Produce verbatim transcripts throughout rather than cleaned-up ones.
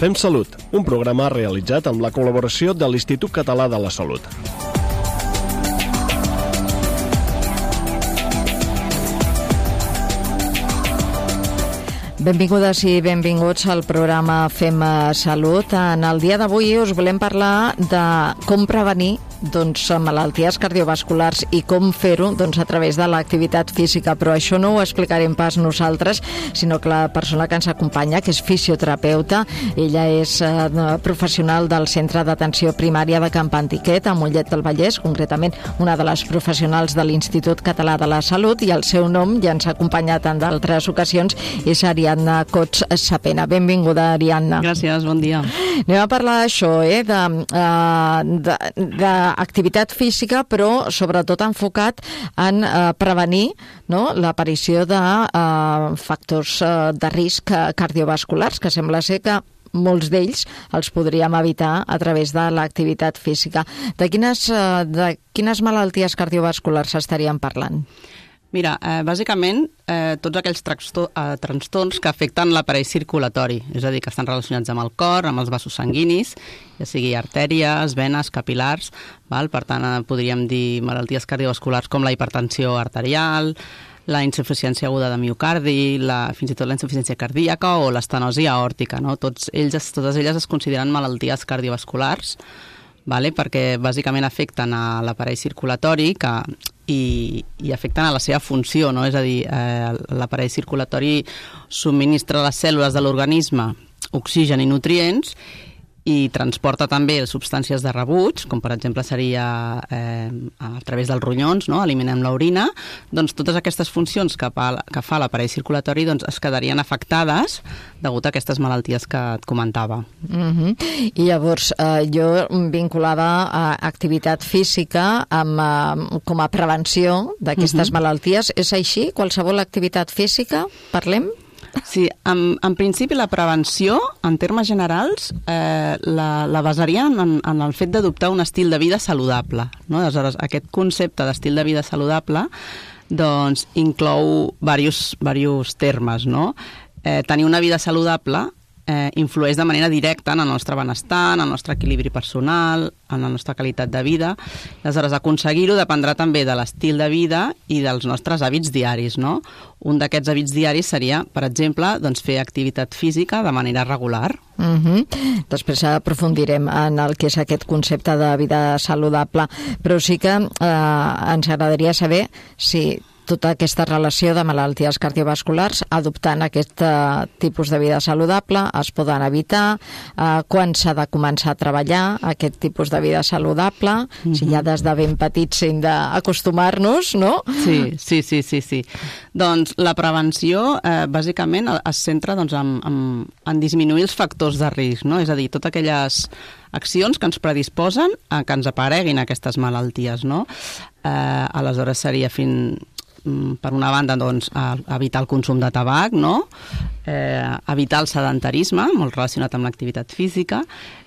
Fem Salut, un programa realitzat amb la col·laboració de l'Institut Català de la Salut. Benvingudes i benvinguts al programa Fem Salut. En el dia d'avui us volem parlar de com prevenir doncs, malalties cardiovasculars i com fer-ho doncs, a través de l'activitat física. Però això no ho explicarem pas nosaltres, sinó que la persona que ens acompanya, que és fisioterapeuta, ella és eh, professional del Centre d'Atenció Primària de Camp Antiquet, a Mollet del Vallès, concretament una de les professionals de l'Institut Català de la Salut, i el seu nom ja ens ha acompanyat en d'altres ocasions, és Ariadna Cots Sapena. Benvinguda, Ariadna. Gràcies, bon dia. Anem a parlar d'això, eh, de, de, de activitat física, però sobretot enfocat en eh, prevenir, no?, l'aparició de eh, factors eh, de risc cardiovasculars, que sembla ser que molts d'ells els podríem evitar a través de l'activitat física. De quines, eh, de quines malalties cardiovasculars estaríem parlant? Mira, eh, bàsicament, eh, tots aquells trastor, eh, trastorns que afecten l'aparell circulatori, és a dir, que estan relacionats amb el cor, amb els vasos sanguinis, ja sigui artèries, venes, capil·lars, val? Per tant, eh, podríem dir malalties cardiovasculars com la hipertensió arterial, la insuficiència aguda de miocardi, la, fins i tot la insuficiència cardíaca o l'estenosi aòrtica, no? Tots ells, totes elles es consideren malalties cardiovasculars, vale? Perquè bàsicament afecten a l'aparell circulatori que, i, i afecten a la seva funció, no? És a dir, eh, l'aparell circulatori subministra a les cèl·lules de l'organisme oxigen i nutrients i transporta també substàncies de rebuig, com per exemple seria eh, a través dels ronyons, no? Eliminem l'orina, doncs totes aquestes funcions que fa, que fa l'aparell circulatori doncs, es quedarien afectades degut a aquestes malalties que et comentava. Mm-hmm. I llavors, eh, jo vinculava a activitat física amb, eh, com a prevenció d'aquestes mm-hmm. malalties. És així? Qualsevol activitat física? Parlem? Sí, en, en principi la prevenció, en termes generals, eh, la, la basaríem en, en el fet d'adoptar un estil de vida saludable, no? Aleshores, aquest concepte d'estil de vida saludable doncs, inclou diversos, diversos termes, no? Eh, tenir una vida saludable eh, influeix de manera directa en el nostre benestar, en el nostre equilibri personal, en la nostra qualitat de vida. Aleshores, aconseguir-ho dependrà també de l'estil de vida i dels nostres hàbits diaris, no? Un d'aquests hàbits diaris seria, per exemple, doncs, fer activitat física de manera regular. Mm-hmm. Després aprofundirem en el que és aquest concepte de vida saludable, però sí que eh, ens agradaria saber si tota aquesta relació de malalties cardiovasculars, adoptant aquest uh, tipus de vida saludable, es poden evitar, uh, quan s'ha de començar a treballar aquest tipus de vida saludable, mm-hmm. si ja des de ben petits hem d'acostumar-nos, no? Sí, sí, sí, sí, sí. Doncs la prevenció, eh, bàsicament, es centra doncs, en, en, en disminuir els factors de risc, no? És a dir, totes aquelles accions que ens predisposen a que ens apareguin aquestes malalties, no? Eh, aleshores seria fins... per una banda, doncs, evitar el consum de tabac, no? Eh, evitar el sedentarisme, molt relacionat amb l'activitat física,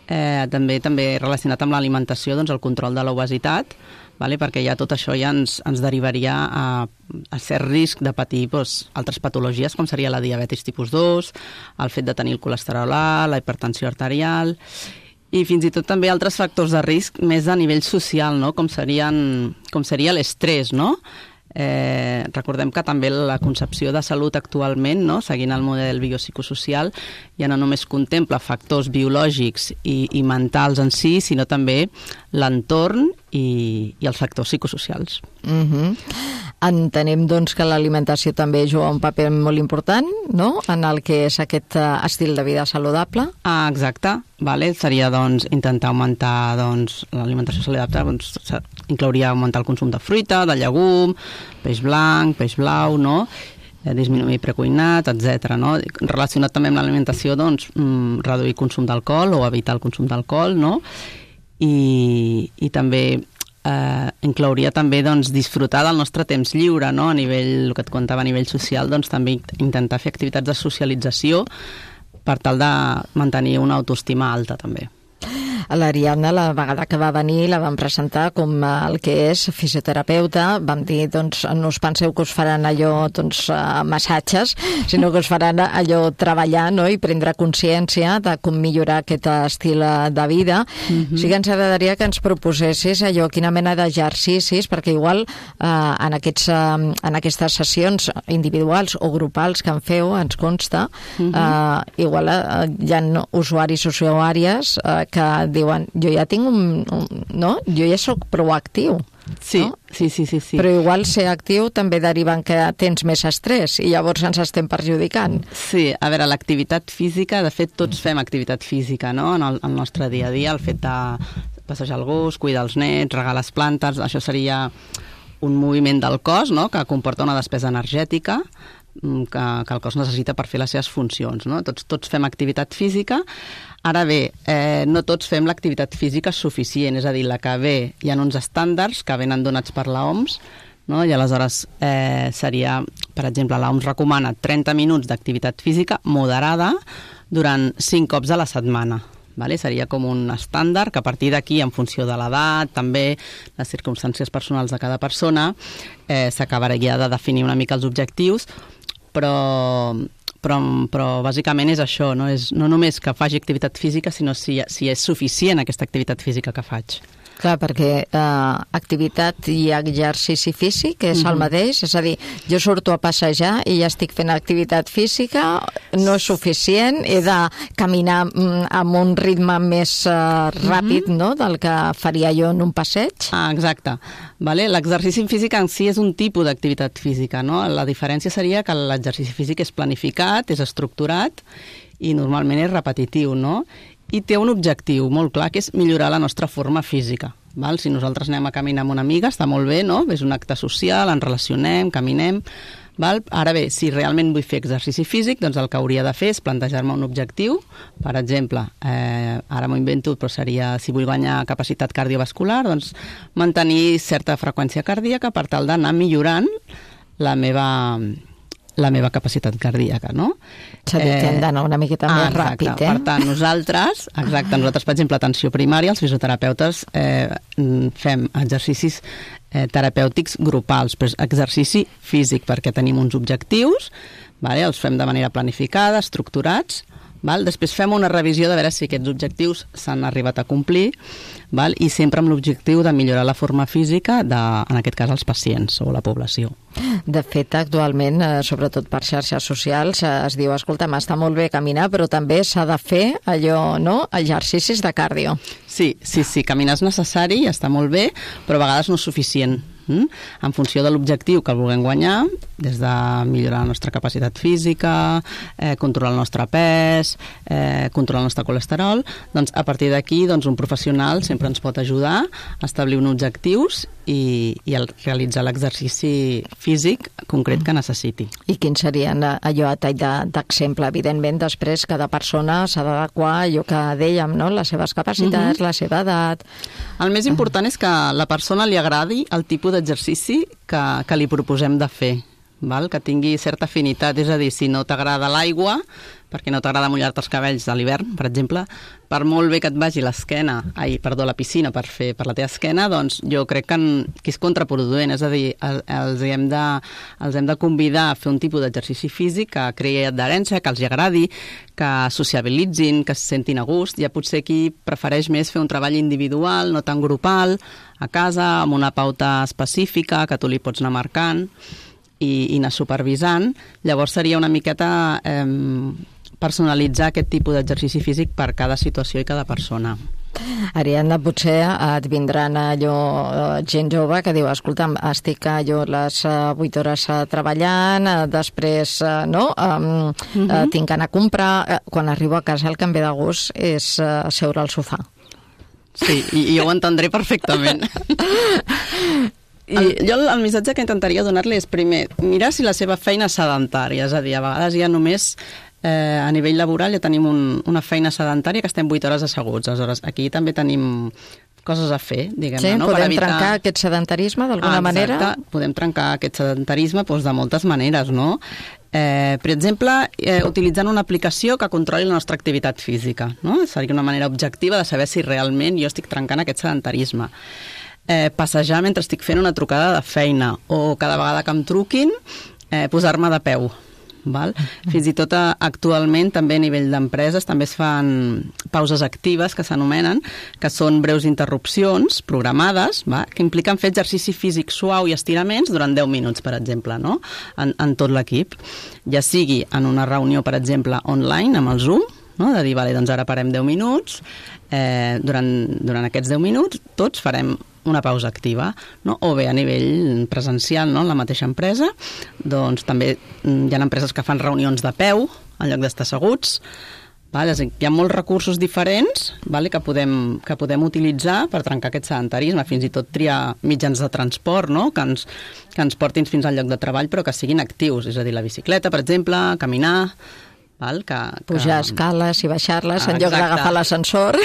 eh, també també relacionat amb l'alimentació, doncs, el control de l'obesitat, vale? Perquè ja tot això ja ens, ens derivaria a, a cert risc de patir doncs, altres patologies, com seria la diabetis tipus dos, el fet de tenir el colesterol alt, la hipertensió arterial, i fins i tot també altres factors de risc més a nivell social, no? Com serien, com seria l'estrès, no? Eh, recordem que també la concepció de salut actualment, no? Seguint el model biopsicosocial, ja no només contempla factors biològics i, i mentals en si, sinó també l'entorn i, i els factors psicosocials. Mm-hmm. Entenem, doncs, que l'alimentació també juga un paper molt important, no?, en el que és aquest uh, estil de vida saludable. Ah, exacte. Vale. Seria, doncs, intentar augmentar doncs, l'alimentació saludable, doncs, inclouria augmentar el consum de fruita, de llegum, peix blanc, peix blau, no?, disminuir precuinat, etcètera. No? Relacionat també amb l'alimentació, doncs, reduir consum d'alcohol o evitar el consum d'alcohol, no? I, i també eh, inclouria també doncs, disfrutar del nostre temps lliure, no? A nivell, el que et contava a nivell social, doncs també intentar fer activitats de socialització per tal de mantenir una autoestima alta també. L'Ariadna, la vegada que va venir, la vam presentar com el que és fisioterapeuta. Vam dir, doncs, no us penseu que us faran allò, doncs, massatges, sinó que us faran allò treballar, no?, i prendre consciència de com millorar aquest estil de vida. Mm-hmm. Sí que ens agradaria que ens proposessis allò, quina mena d'exercicis, perquè igual eh, en, aquests, eh, en aquestes sessions individuals o grupals que en feu, ens consta, mm-hmm. eh, igual eh, hi ha usuaris o usuàries eh, que diuen, jo ja tinc un, un... no? Jo ja sóc proactiu. Sí, no? sí, sí, sí, sí. Però igual ser actiu també deriva en que tens més estrès i llavors ens estem perjudicant. Sí, a veure, l'activitat física, de fet tots fem activitat física, no?, en el, en el nostre dia a dia, el fet de passejar el gos, cuidar els nets, regar les plantes, això seria un moviment del cos, no?, que comporta una despesa energètica que, que el cos necessita per fer les seves funcions, no? Tots, tots fem activitat física. Ara bé, eh, no tots fem l'activitat física suficient, és a dir, la que ve, hi ha uns estàndards que venen donats per l'O M S, no? I aleshores eh, seria, per exemple, l'O M S recomana trenta minuts d'activitat física moderada durant cinc cops a la setmana. Vale? Seria com un estàndard que a partir d'aquí, en funció de l'edat, també les circumstàncies personals de cada persona, eh, s'acabaria de definir una mica els objectius, però... Però, però bàsicament és això, no? És no només que faci activitat física, sinó si, si és suficient aquesta activitat física que faig. Clar, perquè eh, activitat i exercici físic és mm-hmm. el mateix, és a dir, jo surto a passejar i ja estic fent activitat física, no és suficient, he de caminar mm, amb un ritme més eh, ràpid, mm-hmm. no?, del que faria jo en un passeig. Ah, exacte. Vale? L'exercici físic en si és un tipus d'activitat física, no? La diferència seria que l'exercici físic és planificat, és estructurat i normalment és repetitiu, no? I té un objectiu molt clar, que és millorar la nostra forma física. Val? Si nosaltres anem a caminar amb una amiga, està molt bé, no? És un acte social, ens relacionem, caminem... Val? Ara bé, si realment vull fer exercici físic, doncs el que hauria de fer és plantejar-me un objectiu. Per exemple, eh, ara m'ho invento, però seria, si vull guanyar capacitat cardiovascular, doncs mantenir certa freqüència cardíaca per tal d'anar millorant la meva... la meva capacitat cardíaca, no? És a dir, que hem d'anar una miqueta ah, més ràpid, eh? Per tant, nosaltres, exacte, nosaltres, per exemple, atenció primària, els fisioterapeutes eh, fem exercicis eh, terapèutics grupals, però és exercici físic, perquè tenim uns objectius, vale? Els fem de manera planificada, estructurats, val? Després fem una revisió de veure si aquests objectius s'han arribat a complir, val? I sempre amb l'objectiu de millorar la forma física de, en aquest cas, els pacients o la població. De fet, actualment, eh, sobretot per xarxes socials, eh, es diu, escolta, està molt bé caminar, però també s'ha de fer allò, no?, exercicis de cardio. Sí, sí, sí, caminar és necessari i està molt bé, però a vegades no és suficient. Mm? En funció de l'objectiu que el vulguem guanyar, des de millorar la nostra capacitat física, eh, controlar el nostre pes, eh, controlar el nostre colesterol, doncs a partir d'aquí doncs, un professional sempre ens pot ajudar a establir uns objectius i, i el, realitzar l'exercici físic concret que necessiti. I quins serien allò a tall d'exemple? Evidentment, després cada persona s'ha d'adequar allò que dèiem, no?, les seves capacitats, uh-huh. la seva edat... El més important és que a la persona li agradi el tipus d'exercici que, que li proposem de fer, val? Que tingui certa afinitat, és a dir, si no t'agrada l'aigua, perquè no t'agrada mullar-te els cabells a l'hivern, per exemple, per molt bé que et vagi l'esquena, ai, perdó, la piscina per fer per la teva esquena, doncs jo crec que, en, que és contraproduent, és a dir, el, els, hem de, els hem de convidar a fer un tipus d'exercici físic que creï adherència, que els agradi, que sociabilitzin, que se sentin a gust. Ja potser qui prefereix més fer un treball individual, no tan grupal, a casa, amb una pauta específica que tu li pots anar marcant i, i anar supervisant. Llavors seria una miqueta eh, personalitzar aquest tipus d'exercici físic per cada situació i cada persona. Ariadna, potser et vindran allò gent jove que diu, escolta'm, estic allò les vuit hores treballant, després no, um, uh-huh. uh, tinc que anar a comprar, quan arribo a casa el que em ve de gust és uh, seure al sofà. Sí, i, i jo ho entendré perfectament. I... El, jo el, el missatge que intentaria donar-li és primer, mirar si la seva feina és sedentària, és a dir, a vegades ja només eh, a nivell laboral ja tenim un, una feina sedentària que estem vuit hores asseguts, aleshores aquí també tenim coses a fer, diguem-ne. Sí, no? podem evitar... trencar aquest sedentarisme d'alguna ah, manera? Exacte, podem trencar aquest sedentarisme doncs, de moltes maneres, no? Eh, per exemple, eh, utilitzant una aplicació que controli la nostra activitat física, no? Seria una manera objectiva de saber si realment jo estic trencant aquest sedentarisme. Eh, passejar mentre estic fent una trucada de feina o cada vegada que em truquin, eh, posar-me de peu. Val? Fins i tot actualment també a nivell d'empreses també es fan pauses actives que s'anomenen, que són breus interrupcions programades, va? Que impliquen fer exercici físic suau i estiraments durant deu minuts, per exemple, no? en, en tot l'equip. Ja sigui en una reunió, per exemple, online amb el Zoom, no? De dir, vale, doncs ara parem deu minuts, eh, durant, durant aquests deu minuts tots farem una pausa activa, no? O bé a nivell presencial, no? En la mateixa empresa, doncs també hi ha empreses que fan reunions de peu en lloc d'estar asseguts. Vale? Hi ha molts recursos diferents, vale? que, podem, que podem utilitzar per trencar aquest sedentarisme, fins i tot triar mitjans de transport, no? que, ens, que ens portin fins al lloc de treball però que siguin actius, és a dir, la bicicleta, per exemple, caminar... Val? Que, que... Pujar escales i baixar-les ah, en lloc d'agafar l'ascensor...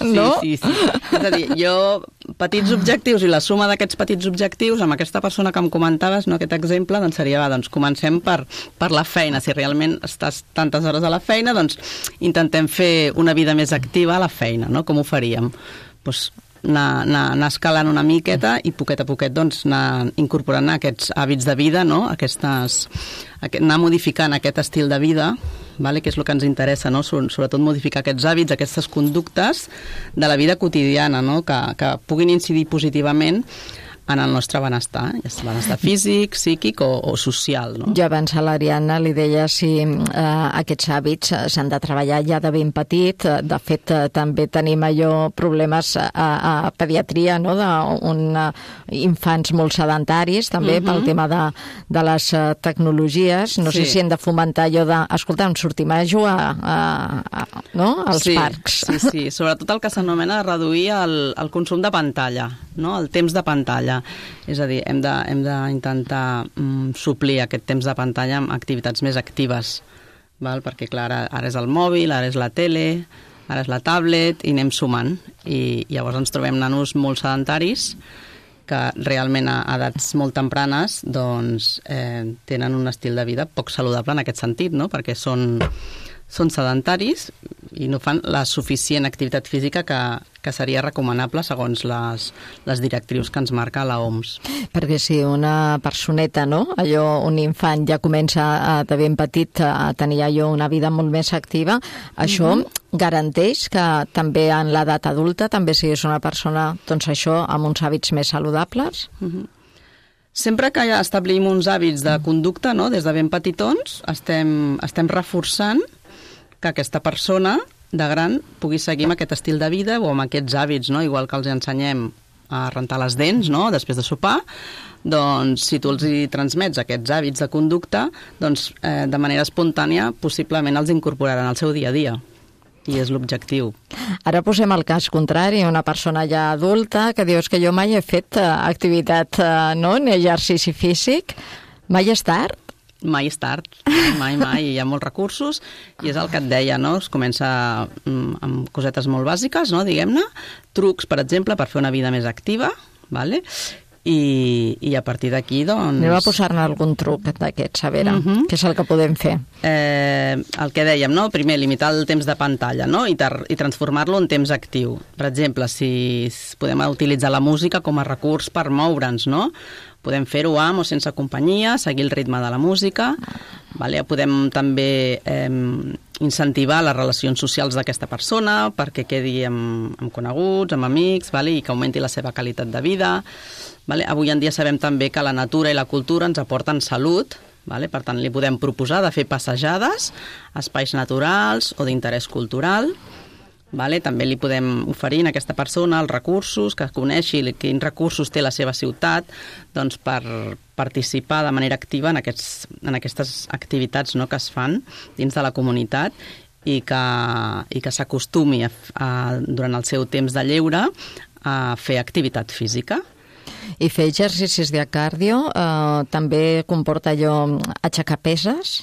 No? Sí, sí, sí. És a dir, jo, petits objectius i la suma d'aquests petits objectius, amb aquesta persona que em comentaves, no, aquest exemple, doncs seria, va, doncs comencem per, per la feina. Si realment estàs tantes hores a la feina, doncs intentem fer una vida més activa a la feina, no? Com ho faríem? Doncs anar, anar, anar escalant una miqueta i poquet a poquet doncs, anar incorporant aquests hàbits de vida, no? Aquestes, anar modificant aquest estil de vida, vale? Que és el que ens interessa, no? Sobretot modificar aquests hàbits, aquestes conductes de la vida quotidiana, no? que, que puguin incidir positivament en el nostre benestar, és benestar físic, psíquic o, o social. No? Jo abans a l'Ariadna li deia si eh, aquests hàbits s'han de treballar ja de ben petit. De fet, eh, també tenim allò problemes a, a pediatria, no? D'infants molt sedentaris, també, uh-huh. pel tema de, de les tecnologies. No sí. sé si hem de fomentar allò de, escolta, em sortim a jugar a, a, no? als sí, parcs. Sí, sí, sobretot el que s'anomena reduir el, el consum de pantalla, no? El temps de pantalla. És a dir, hem d'intentar mm, suplir aquest temps de pantalla amb activitats més actives, val? Perquè clar, ara, ara és el mòbil, ara és la tele, ara és la tablet i anem sumant i llavors ens trobem nanos molt sedentaris que realment a edats molt tempranes doncs, eh, tenen un estil de vida poc saludable en aquest sentit, no? Perquè són, són sedentaris i no fan la suficient activitat física que, que seria recomanable segons les, les directrius que ens marca la O M S. Perquè si una personeta, no? Allò, un infant ja comença a, de ben petit a tenir allò una vida molt més activa, això mm-hmm. garanteix que també en l'edat adulta també siguis una persona, doncs això, amb uns hàbits més saludables? Mm-hmm. Sempre que ja establim uns hàbits de conducta, no? Des de ben petitons, estem, estem reforçant que aquesta persona de gran pugui seguir amb aquest estil de vida o amb aquests hàbits, no? Igual que els ensenyem a rentar les dents, no? Després de sopar, doncs si tu els hi transmets aquests hàbits de conducta, doncs eh, de manera espontània possiblement els incorporaran al seu dia a dia. I és l'objectiu. Ara posem el cas contrari, una persona ja adulta que dius que jo mai he fet uh, activitat, uh, no? Ni exercici físic. Mai és tard? Mai és tard, mai, mai. Hi ha molts recursos i és el que et deia, no? Es comença amb cosetes molt bàsiques, no? Diguem-ne, trucs, per exemple, per fer una vida més activa, vale? I, i a partir d'aquí, doncs... Anem a posar-ne algun truc d'aquests, a veure, uh-huh. què és el que podem fer? Eh, el que dèiem, no? Primer, limitar el temps de pantalla, no? I, i transformar-lo en temps actiu. Per exemple, si podem utilitzar la música com a recurs per moure'ns, no? Podem fer-ho amb o sense companyia, seguir el ritme de la música, vale? Podem també eh, incentivar les relacions socials d'aquesta persona perquè quedi amb, amb coneguts, amb amics, vale? I que augmenti la seva qualitat de vida. Vale? Avui en dia sabem també que la natura i la cultura ens aporten salut, vale? Per tant, li podem proposar de fer passejades a espais naturals o d'interès cultural. Vale? També li podem oferir a aquesta persona els recursos, que coneixi quins recursos té la seva ciutat, doncs per participar de manera activa en, aquests, en aquestes activitats, no?, que es fan dins de la comunitat i que, i que s'acostumi a, a, durant el seu temps de lleure a fer activitat física. I fer exercicis de cardio eh, també comporta allò aixecar peses?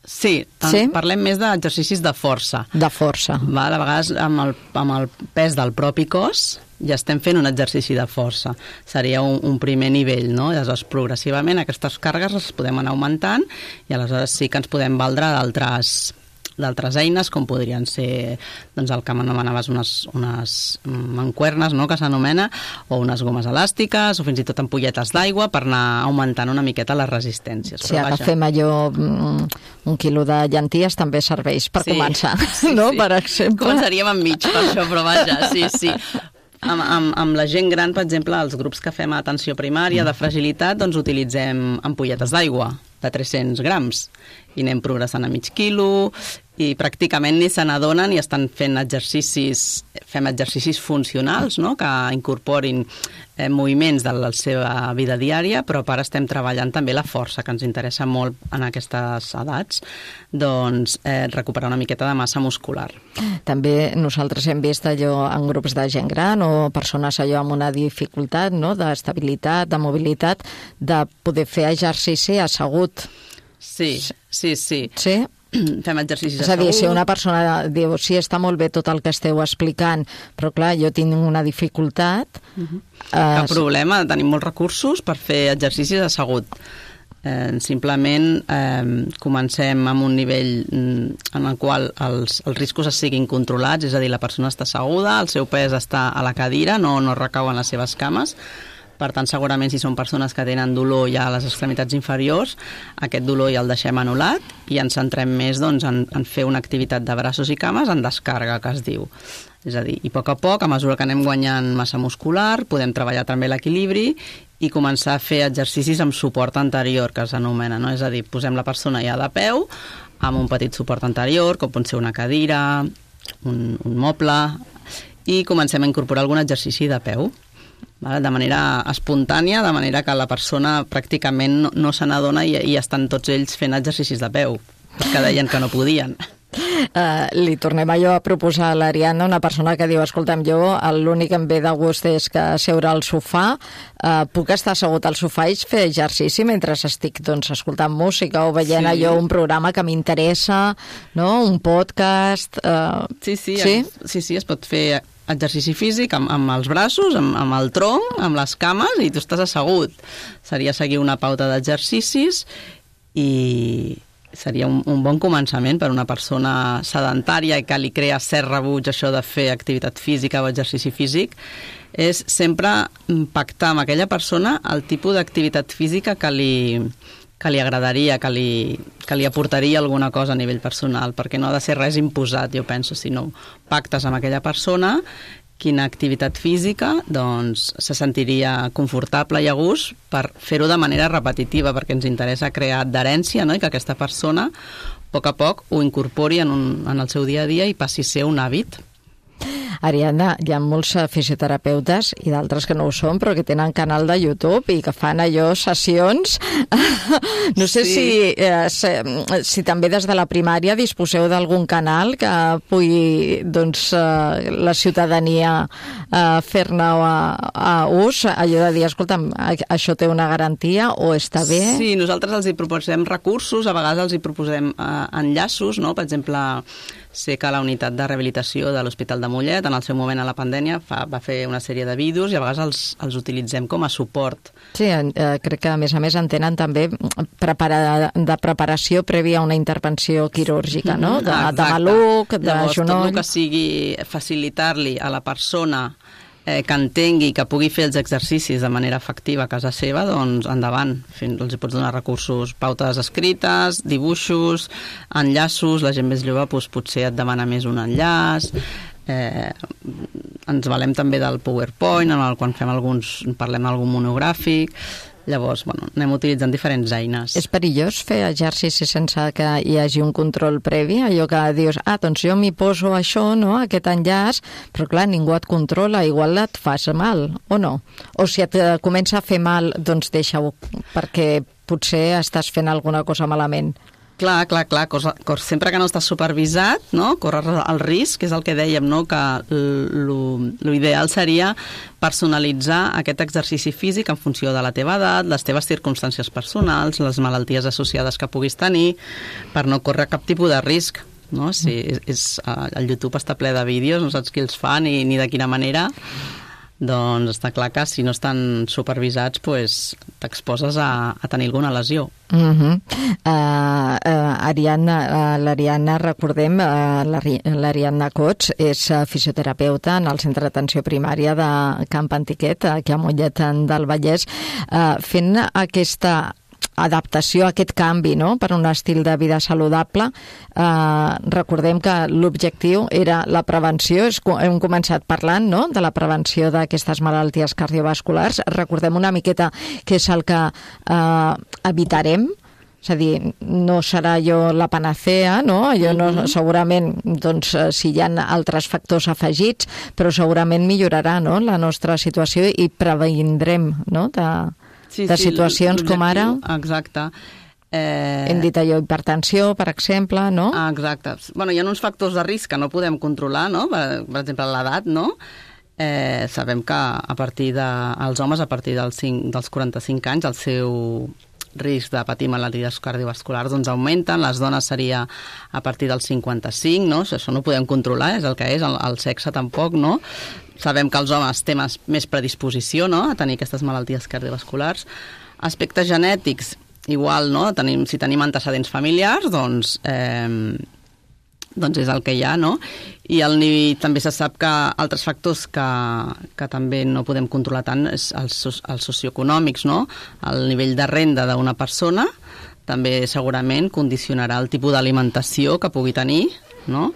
Sí, sí, parlem més d'exercicis de força. De força. Va, a vegades amb el, amb el pes del propi cos, ja estem fent un exercici de força. Seria un, un primer nivell, no? Aleshores, progressivament aquestes càrregues les podem anar augmentant i aleshores sí que ens podem valdre d'altres d'altres eines, com podrien ser doncs el que m'anomenaves unes, unes mancuernes, no?, que s'anomena, o unes gomes elàstiques, o fins i tot ampolletes d'aigua per anar augmentant una miqueta les resistències. Si agafem allò, un quilo de llenties també serveix per sí, començar, sí, no?, sí. Per exemple. Començaríem amb mig per això, però vaja, sí, sí. Amb, amb, amb la gent gran, per exemple, els grups que fem a atenció primària de fragilitat, doncs utilitzem ampolletes d'aigua de tres-cents grams i anem progressant a mig quilo i pràcticament ni se n'adonen i estan fent exercicis, fem exercicis funcionals, no?, que incorporin eh, moviments de la seva vida diària, però ara estem treballant també la força, que ens interessa molt en aquestes edats, doncs eh, recuperar una miqueta de massa muscular. També nosaltres hem vist allò en grups de gent gran o persones allò amb una dificultat, no?, d'estabilitat, de mobilitat, de poder fer exercici assegut. Sí, sí, sí. Sí? Fem exercicis assegut. És a dir, si una persona diu, sí, està molt bé tot el que esteu explicant, però clar, jo tinc una dificultat... Uh-huh. eh... Cap problema, tenim molts recursos per fer exercicis assegut. Eh, simplement eh, comencem amb un nivell en el qual els, els riscos es siguin controlats, és a dir, la persona està asseguda, el seu pes està a la cadira, no, no recau en les seves cames. Per tant, segurament, si són persones que tenen dolor ja a les extremitats inferiors, aquest dolor ja el deixem anul·lat i ens centrem més doncs, en, en fer una activitat de braços i cames en descàrrega, que es diu. És a dir, i a poc a poc, a mesura que anem guanyant massa muscular, podem treballar també l'equilibri i començar a fer exercicis amb suport anterior, que s'anomena, no? És a dir, posem la persona ja de peu, amb un petit suport anterior, com pot ser una cadira, un, un moble, i comencem a incorporar algun exercici de peu, de manera espontània, de manera que la persona pràcticament no, no se n'adona i, i estan tots ells fent exercicis de peu, que deien que no podien. Uh, li tornem allò a proposar a l'Ariadna, una persona que diu, escolta'm, jo l'únic que em ve de gust és que seure al sofà, uh, puc estar assegut al sofà i fer exercici mentre estic doncs, escoltant música o veient sí. allò un programa que m'interessa, no? Un podcast... Uh... Sí, sí, sí? sí, sí, es pot fer exercici físic amb, amb els braços, amb, amb el tronc, amb les cames, i tu estàs assegut. Seria seguir una pauta d'exercicis i seria un, un bon començament per a una persona sedentària i que li crea cert rebuig això de fer activitat física o exercici físic, és sempre pactar amb aquella persona el tipus d'activitat física que li, que li agradaria, que li, que li aportaria alguna cosa a nivell personal, perquè no ha de ser res imposat, jo penso, sinó pactes amb aquella persona quina activitat física doncs, se sentiria confortable i a gust per fer-ho de manera repetitiva, perquè ens interessa crear adherència, no? I que aquesta persona, a poc a poc, ho incorpori en, un, en el seu dia a dia i passi a ser un hàbit. Ariadna, hi ha molts fisioterapeutes i d'altres que no ho són, però que tenen canal de YouTube i que fan allò sessions. No sé sí. si, eh, si, si també des de la primària disposeu d'algun canal que pugui doncs, eh, la ciutadania eh, fer-ne a, a ús, allò de dir, escolta'm, això té una garantia o està bé? Sí, nosaltres els hi proposem recursos, a vegades els hi proposem eh, enllaços, no? Per exemple, sé que la unitat de rehabilitació de l'Hospital de Mollet, en el seu moment a la pandèmia, fa, va fer una sèrie de vídeos i a vegades els, els utilitzem com a suport. Sí, eh, crec que a més a més en tenen també prepara, de preparació prèvia a una intervenció quirúrgica, no? De, de maluc, de Llavors, genoll... Tot el que sigui facilitar-li a la persona eh, que entengui que pugui fer els exercicis de manera efectiva a casa seva, doncs endavant. Els hi pots donar recursos, pautes escrites, dibuixos, enllaços, la gent més jove doncs, potser et demana més un enllaç. Eh, ens valem també del PowerPoint, en el quan fem alguns, parlem d'algun monogràfic. Llavors, bueno, anem utilitzant diferents eines. És perillós fer exercici sense que hi hagi un control previ? Allò que dius, ah, doncs jo m'hi poso això, no?, aquest enllaç, però clar, ningú et controla, igual et fas mal, o no? O si et comença a fer mal, doncs deixa-ho, perquè potser estàs fent alguna cosa malament. Clar, clar, clar, cosa, cosa, sempre que no estàs supervisat, no? Corres el risc, és el que dèiem, no? Que l'ideal seria personalitzar aquest exercici físic en funció de la teva edat, les teves circumstàncies personals, les malalties associades que puguis tenir, per no córrer cap tipus de risc. No? Si és, és, el YouTube està ple de vídeos, no saps qui els fa ni, ni de quina manera. doncs està clar que si no estan supervisats pues, t'exposes a, a tenir alguna lesió. Uh -huh. uh, uh, Ariadna, uh, l'Ariadna, recordem, uh, l'Ariadna Cots és uh, fisioterapeuta en el Centre d'Atenció Primària de Camp Antiquet, aquí a Mollet del Vallès, uh, fent aquesta adaptació a aquest canvi, no?, per un estil de vida saludable. Eh, recordem que l'objectiu era la prevenció, hem començat parlant, no?, de la prevenció d'aquestes malalties cardiovasculars. Recordem una miqueta què és el que eh, evitarem, és a dir, no serà allò la panacea, no? Allò no, segurament, doncs, si hi ha altres factors afegits, però segurament millorarà, no?, la nostra situació i previndrem, no?, de... Sí, de situacions sí, com ara... Exacte. Eh... Hem dit allò, hipertensió, per exemple, no? Ah, exacte. Bueno, hi ha uns factors de risc que no podem controlar, no? Per, per exemple, l'edat, no? Eh, sabem que a partir de... els homes, a partir dels, cinc, dels quaranta-cinc anys, el seu risc de patir malalties cardiovasculars doncs augmenten, les dones seria a partir dels cinquanta-cinc, no? Això no ho podem controlar, és el que és, el, el sexe tampoc, no? Sabem que els homes tenen més predisposició, no?, a tenir aquestes malalties cardiovasculars. Aspectes genètics, igual, no?, tenim, si tenim antecedents familiars, doncs, eh, doncs és el que hi ha, no? I el, també se sap que altres factors que, que també no podem controlar tant és els, els socioeconòmics, no? El nivell de renda d'una persona també segurament condicionarà el tipus d'alimentació que pugui tenir, no?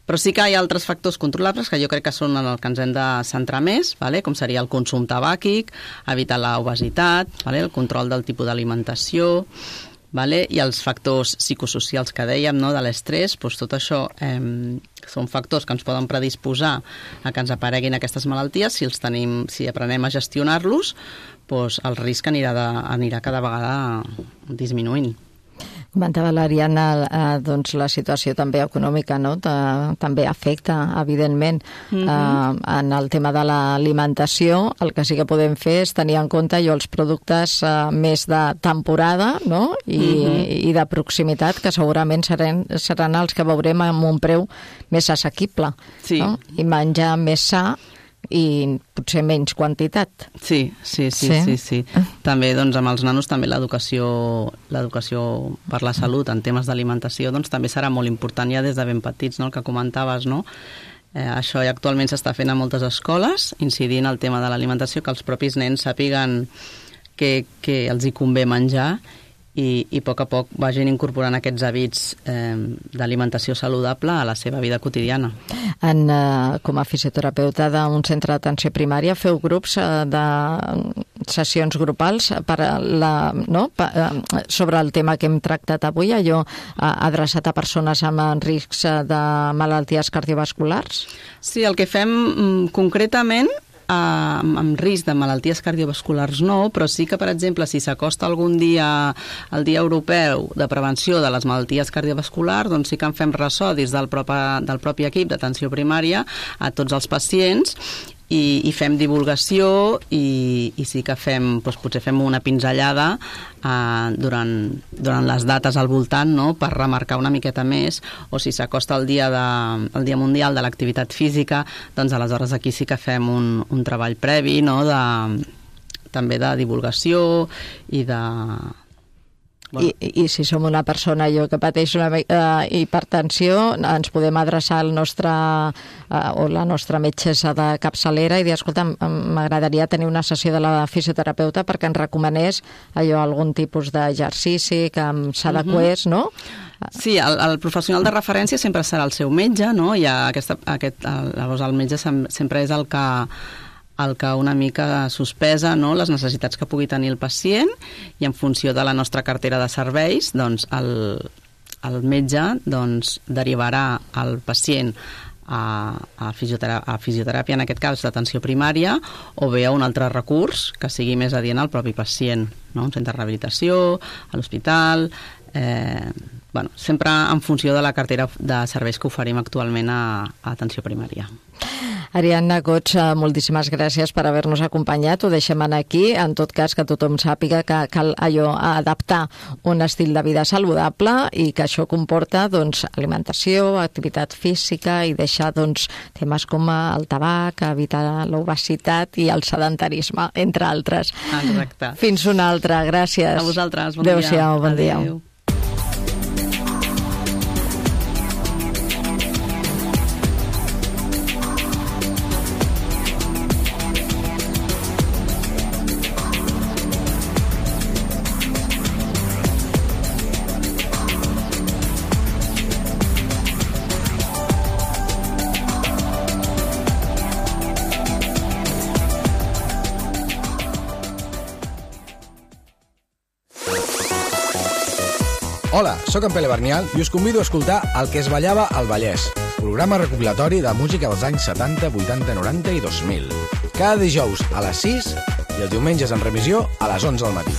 Però sí que hi ha altres factors controlables que jo crec que són en el que ens hem de centrar més, vale? Com seria el consum tabàquic, evitar l'obesitat, vale? El control del tipus d'alimentació, vale? I els factors psicosocials que dèiem, no? De l'estrès, doncs tot això eh, són factors que ens poden predisposar a que ens apareguin aquestes malalties. Si els tenim, si aprenem a gestionar-los, doncs el risc anirà, de, anirà cada vegada disminuint. Comentava l'Ariadna, eh, doncs la situació també econòmica, no?, de, també afecta, evidentment, mm-hmm. eh, en el tema de l'alimentació. El que sí que podem fer és tenir en compte allò, els productes eh, més de temporada, no?, i, mm-hmm. i de proximitat, que segurament seran, seran els que veurem amb un preu més assequible, sí. no?, i menjar més sa i potser menys quantitat. Sí, sí, sí, sí, sí, sí. També, doncs, amb els nanos també l'educació l'educació per la salut en temes d'alimentació, doncs també serà molt important ja des de ben petits, no?, el que comentaves, no? Eh, això ja actualment s'està fent a moltes escoles, incidint en el tema de l'alimentació, que els propis nens sàpiguen que, que els hi convé menjar i, i a poc a poc vagin incorporant aquests hàbits eh, d'alimentació saludable a la seva vida quotidiana. En, eh, com a fisioterapeuta d'un centre d'atenció primària, feu grups eh, de sessions grupals per la, no? per, eh, sobre el tema que hem tractat avui, allò eh, adreçat a persones amb riscs de malalties cardiovasculars? Sí, el que fem mm, concretament amb, amb risc de malalties cardiovasculars no, però sí que, per exemple, si s'acosta algun dia el Dia Europeu de Prevenció de les Malalties Cardiovasculars, doncs sí que en fem ressò des del propi, del propi equip d'atenció primària a tots els pacients i, i fem divulgació i, i sí que fem, doncs potser fem una pinzellada eh, durant, durant les dates al voltant, no?, per remarcar una miqueta més, o si s'acosta el dia, de, el dia Mundial de l'Activitat Física, doncs aleshores aquí sí que fem un, un treball previ, no?, de, també de divulgació i de... Bueno. I, I si som una persona jo que pateix una uh, hipertensió, ens podem adreçar al nostre uh, o la nostra metgessa de capçalera i dir, escolta, m'agradaria tenir una sessió de la fisioterapeuta perquè ens recomanés allò, algun tipus d'exercici que em s'adequés, uh-huh. no? Sí, el, el professional de referència sempre serà el seu metge, no? I aquesta, aquest, el, llavors el metge sempre és el que el que una mica sospesa, no?, les necessitats que pugui tenir el pacient i en funció de la nostra cartera de serveis, doncs el, el metge doncs, derivarà el pacient a, a, fisioteràpia, a fisioteràpia, en aquest cas d'atenció primària, o bé a un altre recurs que sigui més adient al propi pacient, no?, un centre de rehabilitació, a l'hospital... Eh, bueno, sempre en funció de la cartera de serveis que oferim actualment a, a atenció primària. Ariadna Goig, moltíssimes gràcies per haver-nos acompanyat. Ho deixem aquí. En tot cas, que tothom sàpiga que cal allò adaptar un estil de vida saludable i que això comporta doncs, alimentació, activitat física i deixar doncs, temes com el tabac, evitar l'obesitat i el sedentarisme, entre altres. Exacte. Fins una altra. Gràcies. A vosaltres. Bon Adéu-siau, dia. bon dia. Adéu. Hola, sóc en Pere Barnial i us convido a escoltar El que es ballava al Vallès, programa recopilatori de música dels anys setanta, vuitanta, noranta i dos mil. Cada dijous a les sis i els diumenges en remissió a les onze del matí.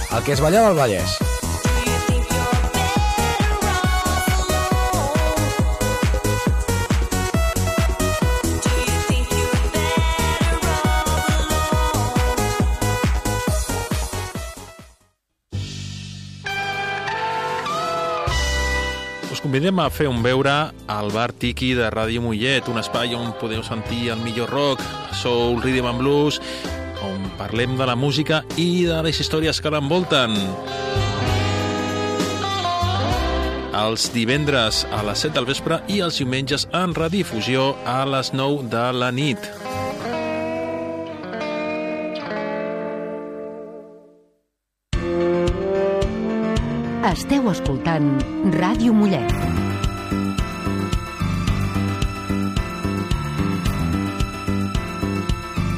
El que es ballava al Vallès. Us convidem a fer un beure al bar Tiki de Ràdio Mollet, un espai on podeu sentir el millor rock, soul, rhythm and blues, on parlem de la música i de les històries que l'envolten. Els divendres a les set del vespre i els diumenges en redifusió a les nou de la nit. Esteu escoltant Ràdio Mollet.